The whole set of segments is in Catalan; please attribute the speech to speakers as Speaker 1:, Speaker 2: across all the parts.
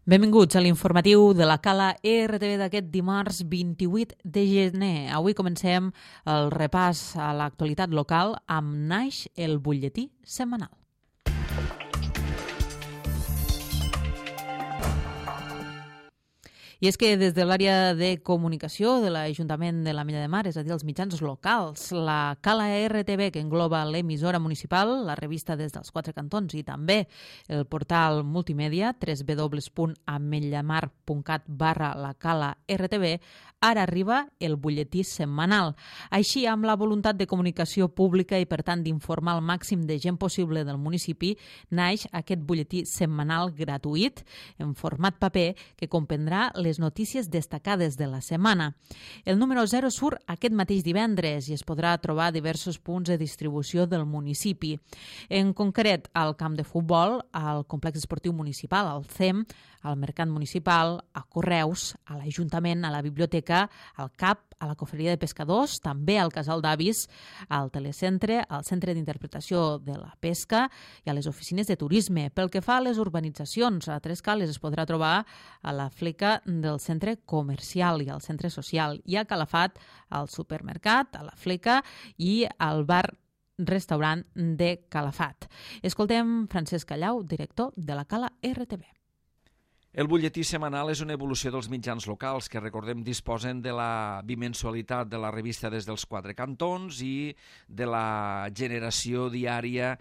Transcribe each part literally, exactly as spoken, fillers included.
Speaker 1: Benvinguts a l'informatiu de la Cala R T V d'aquest dimarts vint-i-vuit de gener. Avui comencem el repàs a l'actualitat local amb Naix, el butlletí setmanal. I és que des de l'àrea de comunicació de l'Ajuntament de l'Ametlla de Mar, és a dir, els mitjans locals, la Cala R T V, que engloba l'emissora municipal, la revista des dels quatre cantons i també el portal multimèdia w w w punt ametllamar punt cat barra la Cala R T V, ara arriba el butlletí setmanal. Així, amb la voluntat de comunicació pública i, per tant, d'informar el màxim de gent possible del municipi, naix aquest butlletí setmanal gratuït en format paper que comprendrà les notícies destacades de la setmana. El número zero surt aquest mateix divendres i es podrà trobar a diversos punts de distribució del municipi. En concret, al camp de futbol, al complex esportiu municipal, al C E M, al mercat municipal, a Correus, a l'Ajuntament, a la biblioteca, al C A P, a la cofreria de pescadors, també al casal d'avis, al telecentre, al centre d'interpretació de la pesca i a les oficines de turisme. Pel que fa a les urbanitzacions, a Tres Cales es podrà trobar a la fleca del centre comercial i al centre social, i a Calafat, al supermercat, a la fleca i al bar restaurant de Calafat. Escoltem Francesc Callau, director de la Cala R T V.
Speaker 2: El butlletí setmanal és una evolució dels mitjans locals que, recordem, disposen de la bimensualitat de la revista des dels quatre cantons i de la generació diària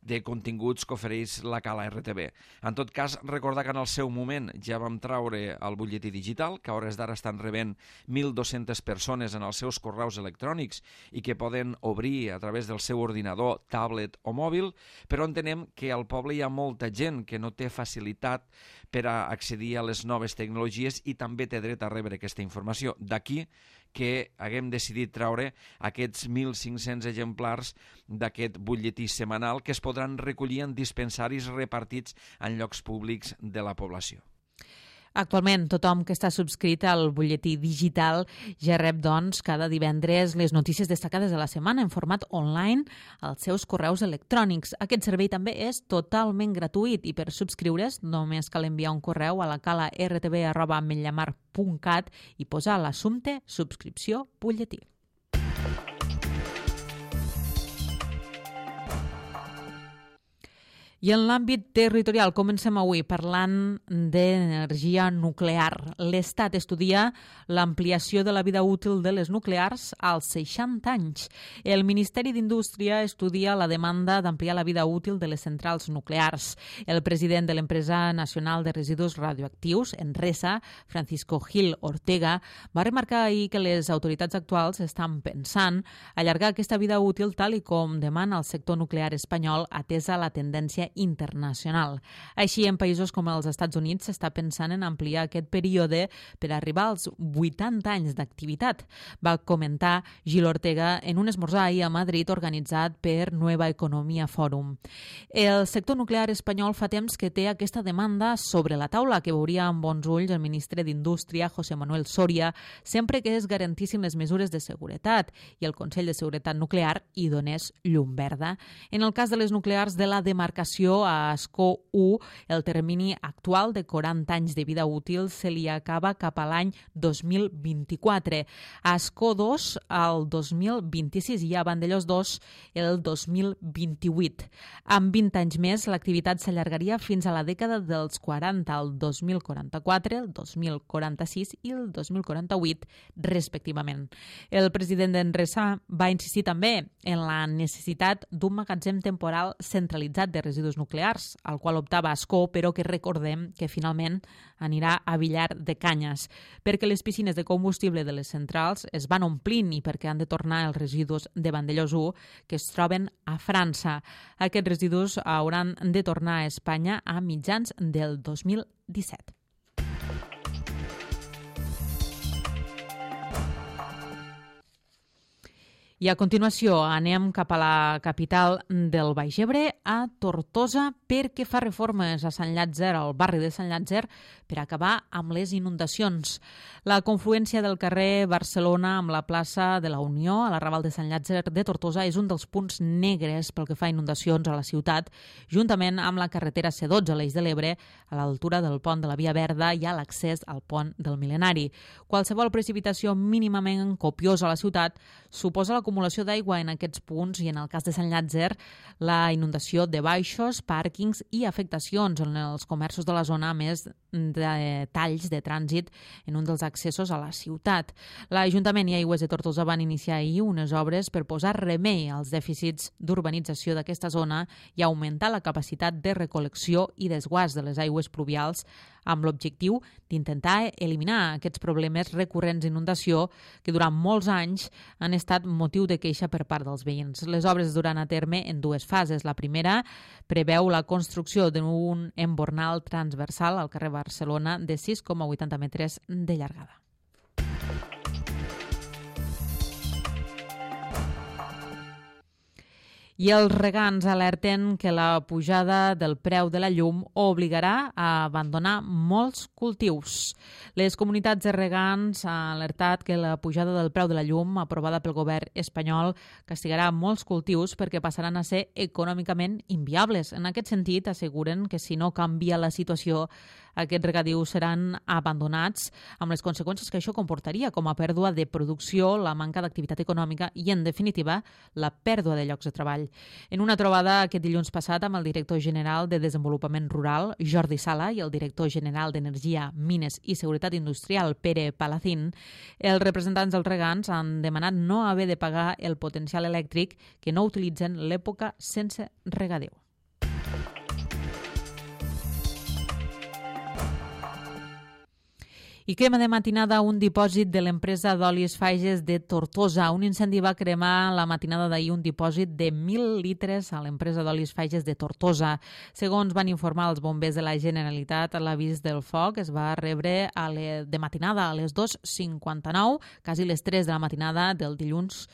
Speaker 2: de continguts que ofereix la Cala R T V. En tot cas, recordar que en el seu moment ja vam traure el butlletí digital, que a hores d'ara estan rebent mil dues-centes persones en els seus correus electrònics i que poden obrir a través del seu ordinador, tablet o mòbil, però entenem que al poble hi ha molta gent que no té facilitat per a accedir a les noves tecnologies i també té dret a rebre aquesta informació. D'aquí que haguem decidit treure aquests mil cinc-cents exemplars d'aquest butlletí setmanal que es podran recollir en dispensaris repartits en llocs públics de la població.
Speaker 1: Actualment, tothom que està subscrit al butlletí digital ja rep, doncs, cada divendres les notícies destacades de la setmana en format online als seus correus electrònics. Aquest servei també és totalment gratuït i per subscriure's només cal enviar un correu a la cala r t v arroba ametllamar punt cat i posar l'assumpte subscripció butlletí. I en l'àmbit territorial comencem avui parlant d'energia nuclear. L'Estat estudia l'ampliació de la vida útil de les nuclears als seixanta anys. El Ministeri d'Indústria estudia la demanda d'ampliar la vida útil de les centrals nuclears. El president de l'Empresa Nacional de Residus Radioactius, Enresa, Francisco Gil Ortega, va remarcar ahir que les autoritats actuals estan pensant allargar aquesta vida útil tal i com demana el sector nuclear espanyol atesa la tendència internacional. Així, en països com els Estats Units s'està pensant en ampliar aquest període per arribar als vuitanta anys d'activitat, va comentar Gil Ortega en un esmorzar ahir a Madrid organitzat per Nueva Economia Forum. El sector nuclear espanyol fa temps que té aquesta demanda sobre la taula que veuria amb bons ulls el ministre d'Indústria, José Manuel Soria, sempre que es garantissin les mesures de seguretat i el Consell de Seguretat Nuclear hi donés llum verda. En el cas de les nuclears de la demarcació a Ascó u, el termini actual de quaranta anys de vida útil se li acaba cap a l'any dos mil vint-i-quatre. A Ascó dos, el dos mil vint-i-sis i a Vandellós dos, el dos mil vint-i-vuit. Amb vint anys més, l'activitat s'allargaria fins a la dècada dels quaranta, el dos mil quaranta-quatre, el dos mil quaranta-sis i el dos mil quaranta-vuit, respectivament. El president d'Enresa va insistir també en la necessitat d'un magatzem temporal centralitzat de residus nuclears, al qual optava Ascó, però que recordem que finalment anirà a Villar de Canyes, perquè les piscines de combustible de les centrals es van omplint i perquè han de tornar els residus de Vandellós u que es troben a França. Aquests residus hauran de tornar a Espanya a mitjans del dos mil disset. I a continuació anem cap a la capital del Baix Ebre, a Tortosa, perquè fa reformes a Sant Llàtzer, al barri de Sant Llàtzer, per acabar amb les inundacions. La confluència del carrer Barcelona amb la plaça de la Unió, a l'arrabal de Sant Llàtzer de Tortosa, és un dels punts negres pel que fa a inundacions a la ciutat, juntament amb la carretera C dotze a l'Eix de l'Ebre, a l'altura del pont de la Via Verda i a l'accés al pont del Mil·lenari. Qualsevol precipitació mínimament copiosa a la ciutat suposa l'acumulació d'aigua en aquests punts i, en el cas de Sant Llàtzer, la inundació de baixos, pàrquings i afectacions en els comerços de la zona, a més de talls de trànsit en un dels accessos a la ciutat. L'Ajuntament i Aigües de Tortosa van iniciar ahir unes obres per posar remei als dèficits d'urbanització d'aquesta zona i augmentar la capacitat de recol·lecció i desguàs de les aigües pluvials, amb l'objectiu d'intentar eliminar aquests problemes recurrents d'inundació que durant molts anys han estat motiu de queixa per part dels veïns. Les obres es duran a terme en dues fases. La primera preveu la construcció d'un embornal transversal al carrer Barcelona de sis coma vuitanta metres de llargada. I els regants alerten que la pujada del preu de la llum obligarà a abandonar molts cultius. Les comunitats de regants han alertat que la pujada del preu de la llum aprovada pel govern espanyol castigarà molts cultius perquè passaran a ser econòmicament inviables. En aquest sentit, asseguren que si no canvia la situació, aquests regadius seran abandonats, amb les conseqüències que això comportaria, com a pèrdua de producció, la manca d'activitat econòmica i, en definitiva, la pèrdua de llocs de treball. En una trobada aquest dilluns passat amb el director general de Desenvolupament Rural, Jordi Sala, i el director general d'Energia, Mines i Seguretat Industrial, Pere Palacín, els representants dels regants han demanat no haver de pagar el potencial elèctric que no utilitzen l'època sense regadiu. I crema de matinada un dipòsit de l'empresa d'olis Fages de Tortosa. Un incendi va cremar la matinada d'ahir un dipòsit de mil litres a l'empresa d'olis Fages de Tortosa. Segons van informar els bombers de la Generalitat, l'avís del foc es va rebre a le... de matinada a les dues cinquanta-nou, quasi les tres de la matinada del dilluns,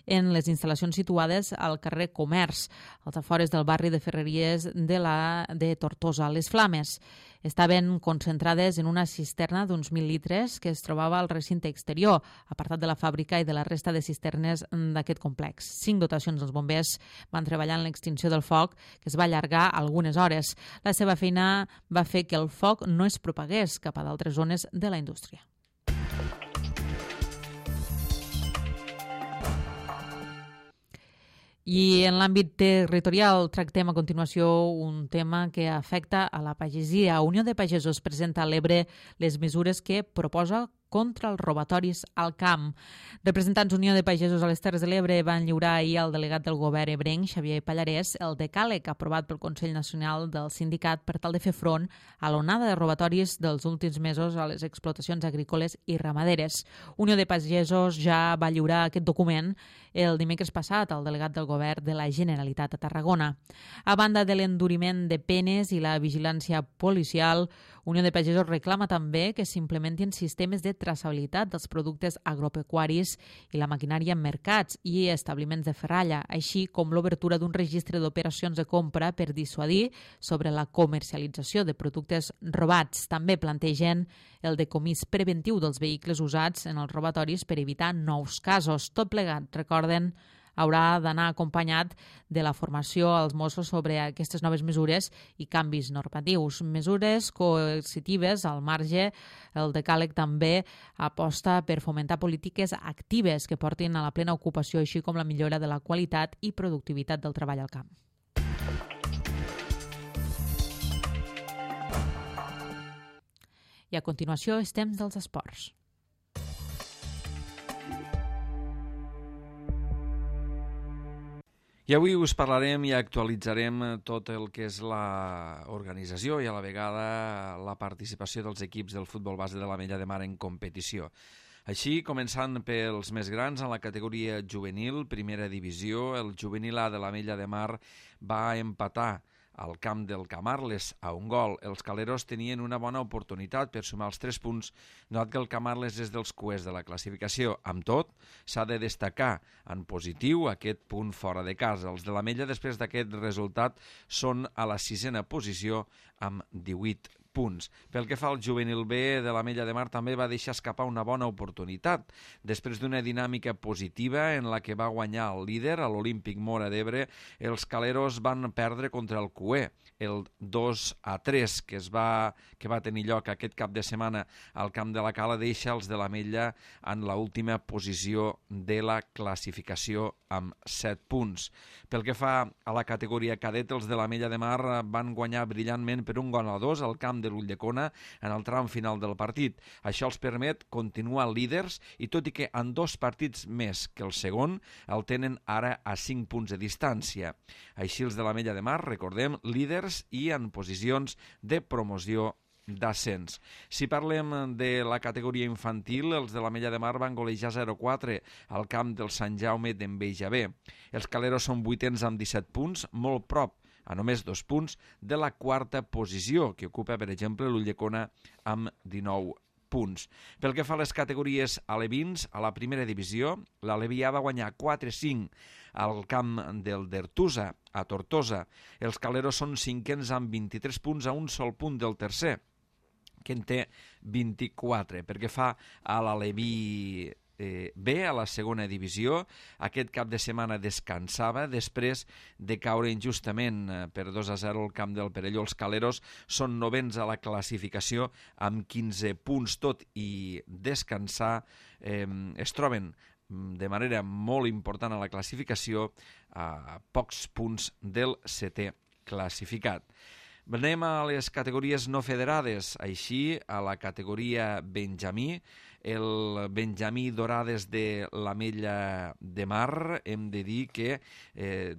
Speaker 1: en les instal·lacions situades al carrer Comerç, als afores del barri de Ferreries de, la, de Tortosa. Les flames estaven concentrades en una cisterna d'uns mil litres que es trobava al recinte exterior, apartat de la fàbrica i de la resta de cisternes d'aquest complex. Cinc dotacions dels bombers van treballar en l'extinció del foc, que es va allargar algunes hores. La seva feina va fer que el foc no es propagués cap a d'altres zones de la indústria. I en l'àmbit territorial tractem a continuació un tema que afecta a la pagesia. Unió de Pagesos presenta a l'Ebre les mesures que proposa contra els robatoris al camp. Representants Unió de Pagesos a les Terres de l'Ebre van lliurar ahir al delegat del govern ebrenc, Xavier Pallarès, el decàleg aprovat pel Consell Nacional del Sindicat per tal de fer front a l'onada de robatoris dels últims mesos a les explotacions agrícoles i ramaderes. Unió de Pagesos ja va lliurar aquest document el dimecres passat al delegat del govern de la Generalitat a Tarragona. A banda de l'enduriment de penes i la vigilància policial, Unió de Pagesos reclama també que s'implementin sistemes de traçabilitat dels productes agropecuaris i la maquinària en mercats i establiments de ferralla, així com l'obertura d'un registre d'operacions de compra per dissuadir sobre la comercialització de productes robats. També plantegen el decomís preventiu dels vehicles usats en els robatoris per evitar nous casos. Tot plegat, recorden, haurà d'anar acompanyat de la formació als Mossos sobre aquestes noves mesures i canvis normatius. Mesures coercitives al marge, el decàleg també aposta per fomentar polítiques actives que portin a la plena ocupació, així com la millora de la qualitat i productivitat del treball al camp. I a continuació és temps dels esports.
Speaker 2: I avui us parlarem i actualitzarem tot el que és l'organització i a la vegada la participació dels equips del futbol base de l'Ametlla de Mar en competició. Així, començant pels més grans, en la categoria juvenil, primera divisió, el juvenil A de l'Ametlla de Mar va empatar al camp del Camarles a un gol. Els caleros tenien una bona oportunitat per sumar els tres punts, donat que el Camarles és dels cuers de la classificació. Amb tot, s'ha de destacar en positiu aquest punt fora de casa. Els de l'Ametlla, després d'aquest resultat, són a la sisena posició amb divuit punts. Pel que fa al juvenil B de l'Ametlla de Mar, també va deixar escapar una bona oportunitat. Després d'una dinàmica positiva en la que va guanyar el líder, a l'Olímpic Móra d'Ebre, els caleros van perdre contra el Cué, el dos a tres que, es va, que va tenir lloc aquest cap de setmana al camp de la Cala, deixa els de l'Ametlla en l'última posició de la classificació amb set punts. Pel que fa a la categoria cadet, els de l'Ametlla de Mar van guanyar brillantment per un gol a dos al camp de l'Ulldecona en el tram final del partit. Això els permet continuar líders i tot i que en dos partits més que el segon el tenen ara a cinc punts de distància. Així els de l'Ametlla de Mar, recordem, líders i en posicions de promoció d'ascens. Si parlem de la categoria infantil, els de l'Ametlla de Mar van golejar zero a quatre al camp del Sant Jaume d'Enveja B. Els caleros són vuitens amb disset punts, molt prop, a només dos punts, de la quarta posició, que ocupa, per exemple, l'Ulldecona amb dinou punts. Pel que fa a les categories alevins, a la primera divisió, l'Alevià va guanyar quatre a cinc al camp del Dertusa, a Tortosa. Els caleros són cinquens amb vint-i-tres punts, a un sol punt del tercer, que en té vint-i-quatre. Pel que fa a l'Aleví eh, B, a la segona divisió, aquest cap de setmana descansava després de caure injustament eh, per dos a zero al camp del Perelló. Els caleros són novens a la classificació amb quinze punts, tot i descansar. Eh, es troben de manera molt important a la classificació a pocs punts del setè classificat. Anem a les categories no federades. Així, a la categoria Benjamí, el Benjamí Dorades de l'Ametlla de Mar, hem de dir que eh,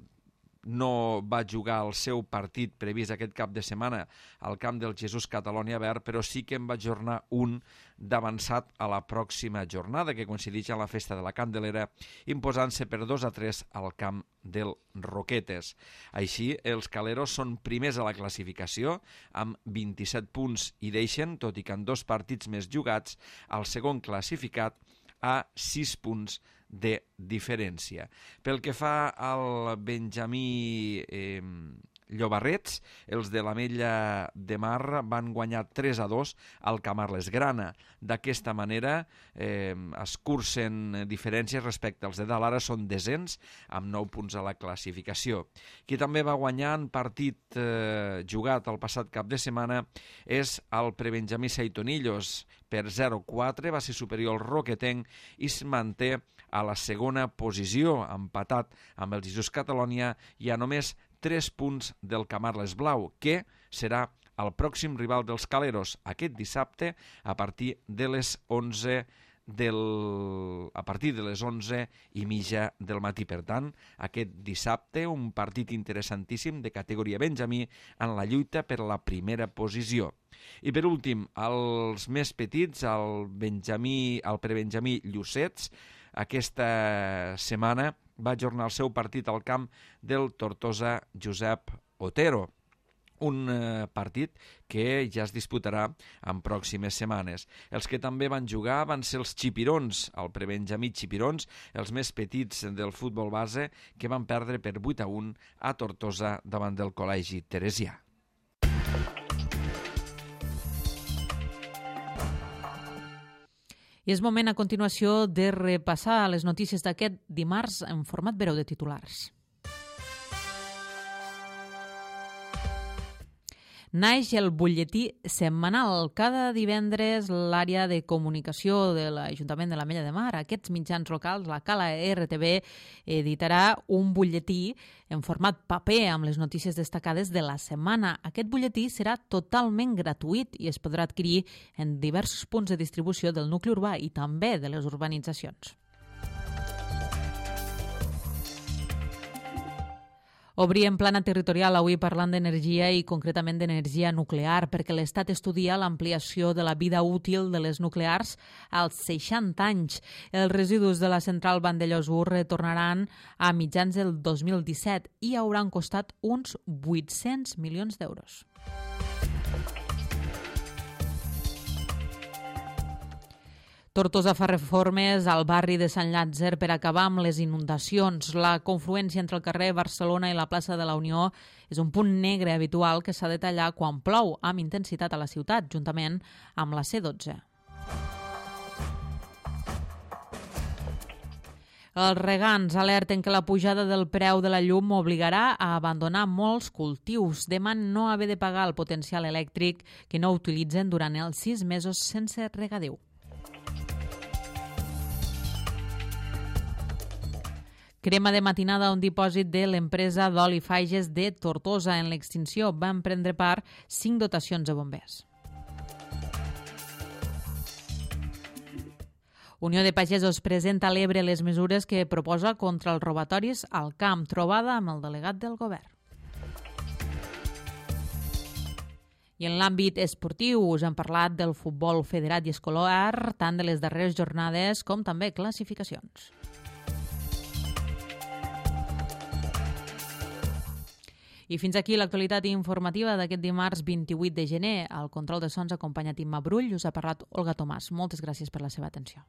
Speaker 2: no va jugar el seu partit previst aquest cap de setmana al camp del Jesús Catalònia Verd, però sí que en va ajornar un d'avançat a la pròxima jornada, que coincideix amb la festa de la Candelera, imposant-se per dos a tres al camp del Roquetes. Així, els caleros són primers a la classificació, amb vint-i-set punts i deixen, tot i que en dos partits més jugats, el segon classificat a sis punts de diferència. Pel que fa al Benjamí eh, Llobarrets, els de l'Ametlla de Mar van guanyar tres a dos al Camarles Grana. D'aquesta manera eh, es cursen diferències respecte als de dalt. Ara són desens amb nou punts a la classificació. Qui també va guanyar en partit eh, jugat el passat cap de setmana és el Prebenjamí Seitonillos. Per zero a quatre va ser superior al Roquetenc i es manté a la segona posició, empatat amb el Jesús Catalònia i a només tres punts del Camarles Blau, que serà el pròxim rival dels caleros aquest dissabte a partir de les onze del... a partir de les onze i mitja del matí. Per tant, aquest dissabte un partit interessantíssim de categoria Benjamí en la lluita per la primera posició. I per últim, els més petits, el Benjamí, el Prebenjamí Llucets, aquesta setmana va ajornar el seu partit al camp del Tortosa Josep Otero, un eh, partit que ja es disputarà en pròximes setmanes. Els que també van jugar van ser els xipirons, el Prebenjamí Xipirons, els més petits del futbol base, que van perdre per vuit a un a Tortosa davant del Col·legi Teresià.
Speaker 1: I és moment a continuació de repassar les notícies d'aquest dimarts en format breu de titulars. Naix el butlletí setmanal. Cada divendres l'àrea de comunicació de l'Ajuntament de l'Ametlla de Mar, aquests mitjans locals, la Cala R T V, editarà un butlletí en format paper amb les notícies destacades de la setmana. Aquest butlletí serà totalment gratuït i es podrà adquirir en diversos punts de distribució del nucli urbà i també de les urbanitzacions. Obrim plana territorial avui parlant d'energia i concretament d'energia nuclear, perquè l'Estat estudia l'ampliació de la vida útil de les nuclears als seixanta anys. Els residus de la central Vandellòs-Ur retornaran a mitjans del dos mil disset i hauran costat uns vuit-cents milions d'euros. Tortosa fa reformes al barri de Sant Llàtzer per acabar amb les inundacions. La confluència entre el carrer Barcelona i la plaça de la Unió és un punt negre habitual que s'ha de tallar quan plou amb intensitat a la ciutat, juntament amb la C dotze. Els regants alerten que la pujada del preu de la llum obligarà a abandonar molts cultius. Demanen no haver de pagar el potencial elèctric que no utilitzen durant els sis mesos sense regadiu. Crema de matinada a un dipòsit de l'empresa d'oli Fages de Tortosa. En l'extinció van prendre part cinc dotacions de bombers. Unió de Pagesos presenta a l'Ebre les mesures que proposa contra els robatoris al camp, trobada amb el delegat del govern. I en l'àmbit esportiu us hem parlat del futbol federat i escolar, tant de les darreres jornades com també classificacions. I fins aquí l'actualitat informativa d'aquest dimarts vint-i-vuit de gener. Al control de sons acompanyat Imma Brull, us ha parlat Olga Tomàs. Moltes gràcies per la seva atenció.